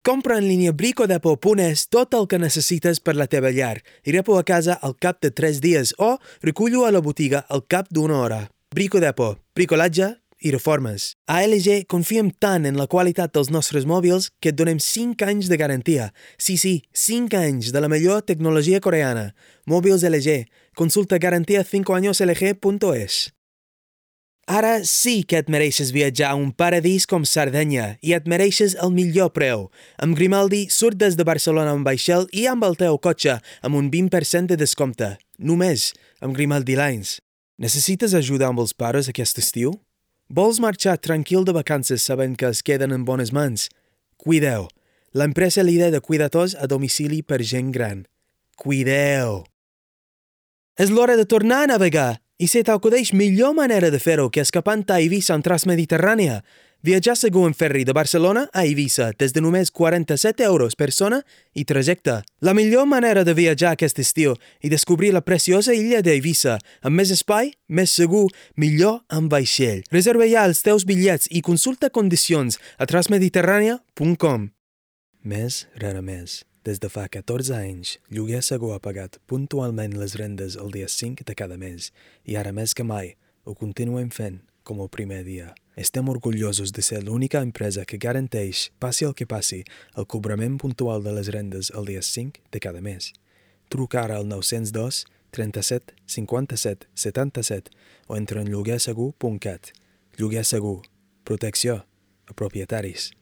Compra en línia bricodepo.es tot el que necessites per la teva llar i repo a casa al cap de 3 dies o recullo a la botiga al cap d'1 hora. Bricodepo, bricolatge i reformes. A LG confiem tant en la qualitat dels nostres mòbils que et donem 5 anys de garantia. Sí, 5 anys de la millor tecnologia coreana. Mòbils LG. Consulta garantia5añoslg.es. Ara sí que et mereixes viatjar a un paradís com Sardenya i et mereixes el millor preu. Amb Grimaldi surt des de Barcelona amb vaixell i amb el teu cotxe amb un 20% de descompte. Només amb Grimaldi Lines. Necessites ajuda amb els pares aquest estiu? Vols marxar tranquil de vacances sabent que es queden en bones mans? Cuideu. L'empresa líder de cuidadors a domicili per gent gran. Cuideu. És l'hora de tornar a navegar. I si t'acudeix millor manera de fer-ho que escapant a Eivissa en Transmediterrània, viatjar segur en ferri de Barcelona a Eivissa des de només 47 euros per persona i trajecte. La millor manera de viatjar aquest estiu i descobrir la preciosa illa d'Eivissa amb més espai, més segur, millor amb vaixell. Reserva ja els teus bitllets i consulta condicions a transmediterrània.com. Més rara més. Des de fa 14 anys, Lloguer Segur ha pagat puntualment les rendes el dia 5 de cada mes i ara més que mai ho continuem fent com el primer dia. Estem orgullosos de ser l'única empresa que garanteix, passi el que passi, el cobrament puntual de les rendes el dia 5 de cada mes. Truca ara al 902 37 57 77 o entra en lloguersegur.cat. Lloguer Segur. Protecció a propietaris.